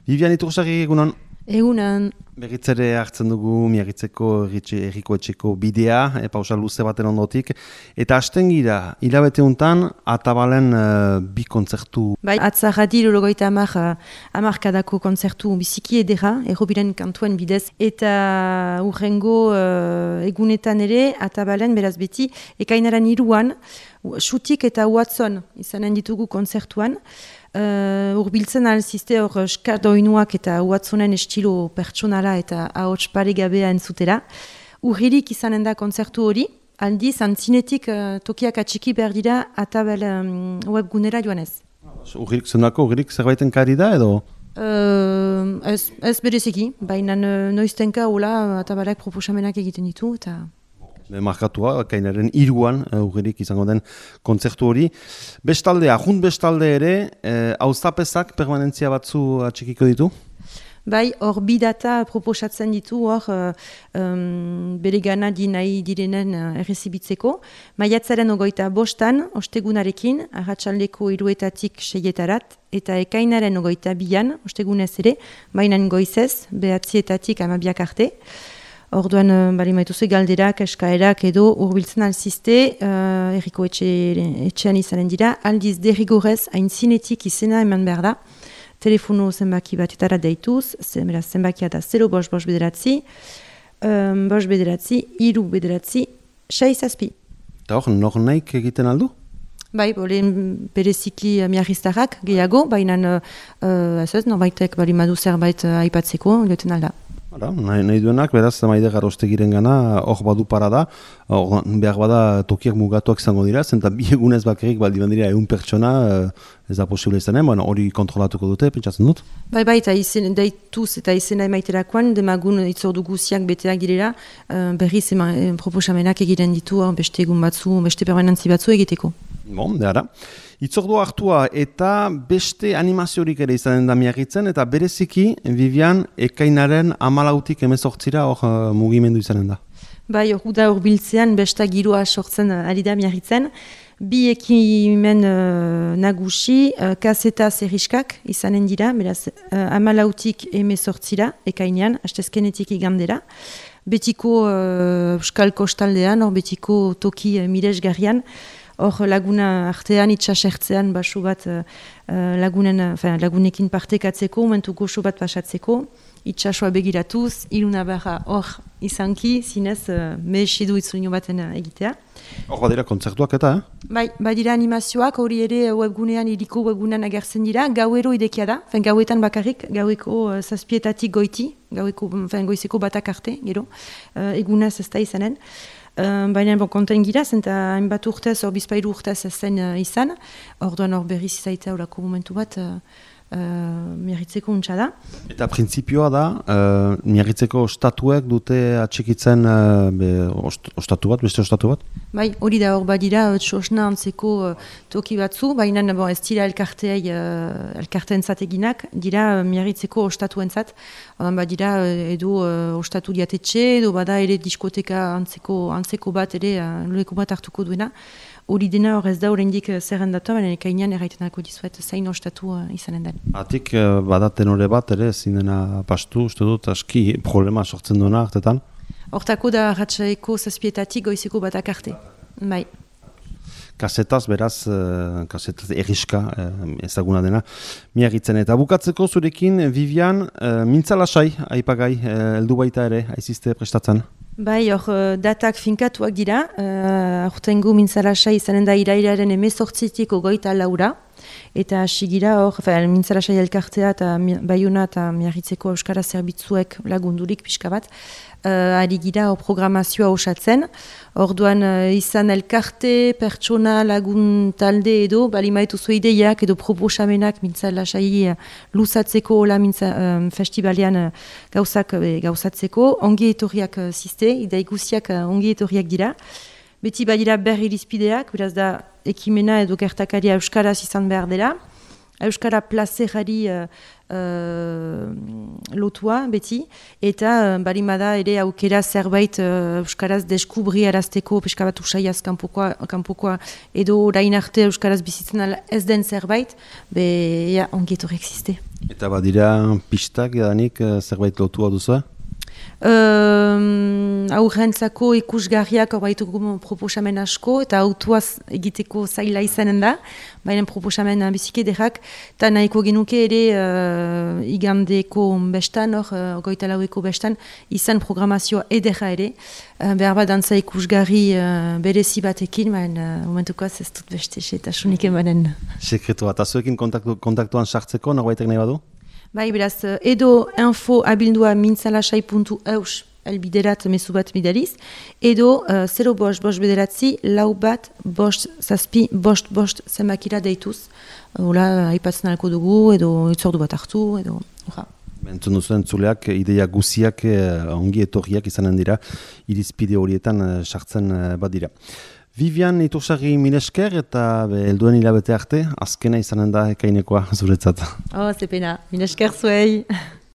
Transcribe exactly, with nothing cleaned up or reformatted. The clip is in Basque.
Vivian Itursarri egunon. Egunan. Berritzere hartzen dugu Miagitzeko erriko etxeko bidea, e, pausa luze baten ondotik. Eta hasten gira, hilabete untan, Atabalen uh, bi kontzertu. Bai, atzarradi lorogoita amar, amarkadako kontzertu biziki edera, errobiren kantuen bidez. Eta urrengo uh, egunetan ere, Atabalen beraz beti, ekainaren iruan, xutik eta Watson izanen ditugu kontzertuan. Uh, urbiltzen alzizte hor skardoinuak eta Watsonen estilo pertsonala eta ahots paregabea entzutera. Urririk izanen da kontzertu hori, aldiz antzinetik uh, tokiak atxiki behar dira Atabel um, webgunera joanez. Urririk zenako, urririk zerbaiten kari da edo? Uh, ez, ez bereziki, baina noiztenka hola Atabelek proposamenak egiten ditu eta... Markatua, kainaren iruan, urririk izango den kontzertu hori. Bestalde, ahunt bestalde ere, hauzapezak eh, permanentzia batzu atxikiko ditu? Bai, hor bi data proposatzen ditu, hor um, bere gana di nahi direnen uh, errezibitzeko. Maiatzaren ogoita bostan, ostegunarekin, arratsaldeko hiruetatik seietarat, eta ekainaren ogoita bian, ostegunez ere, bainan goizez, behatzietatik amabiak arte. Orduan, bali maituzu galderak, eskaerak edo urbiltzen alzizte, uh, erriko etxe, etxean izanen dira, aldiz derrigorez haintzinetik izena eman behar da. Telefono zenbaki batetara deituz, zenbakia da zero bost bost bederatzi, um, bost bederatzi, iru bederatzi, sei zazpi. Eta hor, nor naik egiten aldu? Bai, bolen bereziki miarriztarrak gehiago, baina uh, ez ez, norbaitek bali madu zerbait uh, aipatzeko, joten alda. Hala, nahi, nahi duenak, beraz, maide garrostegiren gana, hor badu para da, hor behar bada tokiak mugatuak izango dira, zenta bi egunez bakarrik baldi bandira egun pertsona, ez da posible izanen, bueno, hori kontrolatuko dute, pentsatzen dut? Bai, bai, eta izen, daituz eta izena emaiterakoan, demagun itzordu guziak beteak direla, uh, berriz ema, proposamenak egiten ditu, beste egun batzu, beste permanentzi batzu egiteko. Bon, dara. Itzordua hartua eta beste animaziorik ere izanen da Miagitzen, eta bereziki, Vivian, ekainaren hamalautik hemezortzira hor uh, mugimendu izanen da. Bai, hor da urbiltzean besta giroa sortzen uh, ari da Miagitzen. Bi ekimen uh, nagusi, uh, kaseta zerriskak izanen dira, beraz, uh, hamalautik hemezortzira, ekainean, hastezkenetik igandera. Betiko uh, Euskal Kostaldean, hor betiko toki uh, miresgarrian, hor laguna artean, itxasertzean, baso bat uh, lagunen, enfin, lagunekin partekatzeko, momentu goxo bat pasatzeko, itxasoa begiratuz, iluna barra hor izanki, zinez, uh, mehesidu itzulino baten egitea. Hor badira kontzertuak eta, eh? Bai, badira animazioak, hori ere webgunean, iriko webgunean agertzen dira, gauero idekia da, fen, gauetan bakarrik, gaueko uh, zazpietatik goiti, gaueko, fen, goizeko batak arte, gero, uh, egunaz ez da izanen. Uh, Baina bon, konten gira, zenta hainbat urtez, hor bizpairu urtez ez zen uh, izan, orduan hor berriz izaitea horako momentu bat uh, uh, Miagitzeko untsa da. Eta printzipioa da, uh, Miagitzeko ostatuek dute atxikitzen uh, be, ost, ostatu bat, beste ostatu bat? Bai, hori da hor badira, txosna antzeko uh, toki batzu, baina bon, ez dira elkarteai, uh, elkarteen zateginak, dira uh, Miagitzeko ostatuen zat, orduan badira uh, edo uh, ostatu diatetxe, edo bada ere diskoteka antzeko, antzeko bat ere, uh, loreko bat hartuko duena. Hori dena hor ez da horrendik zerrendatu, baina ekainean erraitenako dizuet zain ostatu uh, izanen den. Atik uh, badaten hori bat ere, zindena pastu, uste dut, aski problema sortzen duena hartetan? Hortako da ratxaeko zazpietatik goizeko batak arte. Bai. Kasetaz, beraz, uh, kasetaz erriska uh, ezaguna dena, Miagitzen. Eta bukatzeko zurekin, Vivian, uh, mintzalasai, aipagai, uh, heldu baita ere, aizizte prestatzen? Bai, hor datak finkatuak dira, uh, aurtengo mintzalasai izanen da irailaren emezortzitik ogoita laura, eta hasi gira hor, mintzalasai elkartea eta Baiona eta Miagitzeko Euskara Zerbitzuek lagundurik pixka bat, uh, ari gira hor programazioa osatzen, orduan uh, izan elkarte, pertsona, lagun talde edo, bali maituzu ideiak edo proposamenak mintzalasai uh, luzatzeko hola mintza, um, festivalean uh, gauzak uh, gauzatzeko, ongi etorriak uh, ziste, idei guziak uh, ongi etorriak dira. Beti badira berri irizpideak, beraz da ekimena edo gertakaria euskaraz izan behar dela. Euskara plazerari uh, uh, lotua beti, eta uh, barimada ere aukera zerbait uh, Euskaraz deskubri arazteko pixka bat usaiaz kanpokoa, kanpokoa edo orain arte Euskaraz bizitzen ala ez den zerbait, be ja, ongi etorri existe. Eta badira pistak edanik zerbait lotua duzu? Um, aurrentzako ikusgarriak horbaituko proposamen asko eta autuaz egiteko zaila izanen da, baina proposamen biziki ederrak, eta nahiko genuke ere uh, igandeko bestan, hor, uh, goita laueko bestan, izan programazioa ederra ere, uh, behar bat dantza ikusgarri uh, berezi batekin, baina uh, momentukoaz ez dut beste eta sunik emanen. Sekretu bat, azuekin kontaktu, kontaktuan sartzeko, norbaitek nahi badu? Bai, beraz, edo info abildua mintzalasai puntu eus elbiderat mezu bat bidaliz, edo uh, zero bost, bost bederatzi, lau bat, bost, zazpi, bost, bost zenbakira deituz. Hola, aipatzen alko dugu, edo itzordu bat hartu, edo... Entzun duzu entzuleak, ideia guziak eh, ongi etorriak izanen dira, irizpide horietan eh, sartzen eh, bat dira. Vivian Itursarri milesker eta helduen hilabete arte, azkena izanen da ekainekoa zuretzat. Oh, zepena, milesker zuei.